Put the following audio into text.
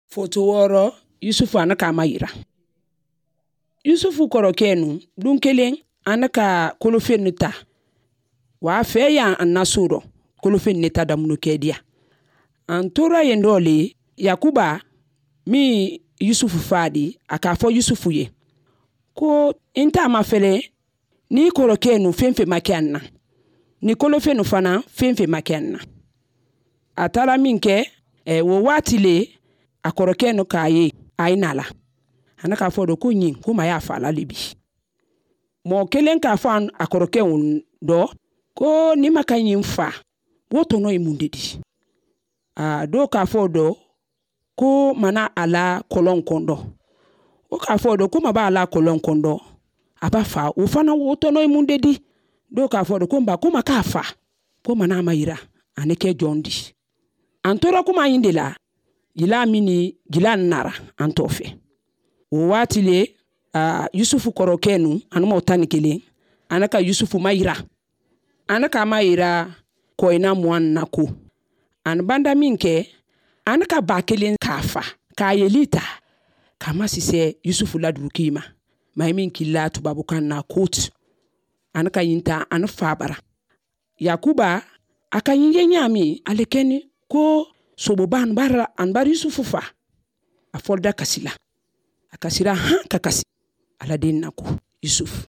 Foto 6, Yusufu ani k'a mayira. Yusufu kɔrɔkɛ nu lon kelen ani ka kolofen nu ta. Wa fɛ yan an na so dɔ kolofen ne ta damunu kɛ diya. An tora yen dɔ le Yakuba min Yusufu fa di, a k'a fɔ Yusufu ye ko n t'a ma fɛlɛ ni kɔrɔkɛ nu fɛn fɛn ma kɛ an na, ni kolofen nu fana fɛn fɛn ma kɛ an na. A taara min kɛ, o waati le a kɔrɔkɛ nu k'a ye a ye na la. A ne k'a fɔ do ko ɲin ko ma y'a fa la le bi. Mɔgɔ kelen k'a fɔ a kɔrɔkɛ dɔ ko ni ma ka ɲin fa, o tɔnɔ ye mun de di? A dɔw k'a fɔ dɔ ko mana a la kɔlɔn kɔndɔ. O k'a fɔ dɔ ko ma b'a la kɔlɔn kɔndɔ, a b'a fa, o fana o tɔnɔ ye mun de di? Dɔw k'a fɔ dɔ ko nba ko ma k'a fa, ko mana ma yira, a ne kɛ jɔn di. An tora kuma in de la, jila min ni jila nara an tɔ fɛ. O waati le, Yusufu kɔrɔkɛ nu, ani mɔgɔ 11, ana ka Yusufu ma yira. Ana ka ma yira kɔyina mugan na ko. Ani banda min kɛ, ana ka ba kelen k'a fa, k'a yeli ta, k'a ma sisɛ Yusufu la duruki ma. Maa min k'i la tubabukan na kote. Ana ka yin ta, ana fa bara. Yakuba, a ka yin ye ɲaami, ale kɛni ko soboba an bara, an bari Yusufu fa. A fɔlida kasi la. A kasira han ka kasi. Ala den na ko, Yusuf.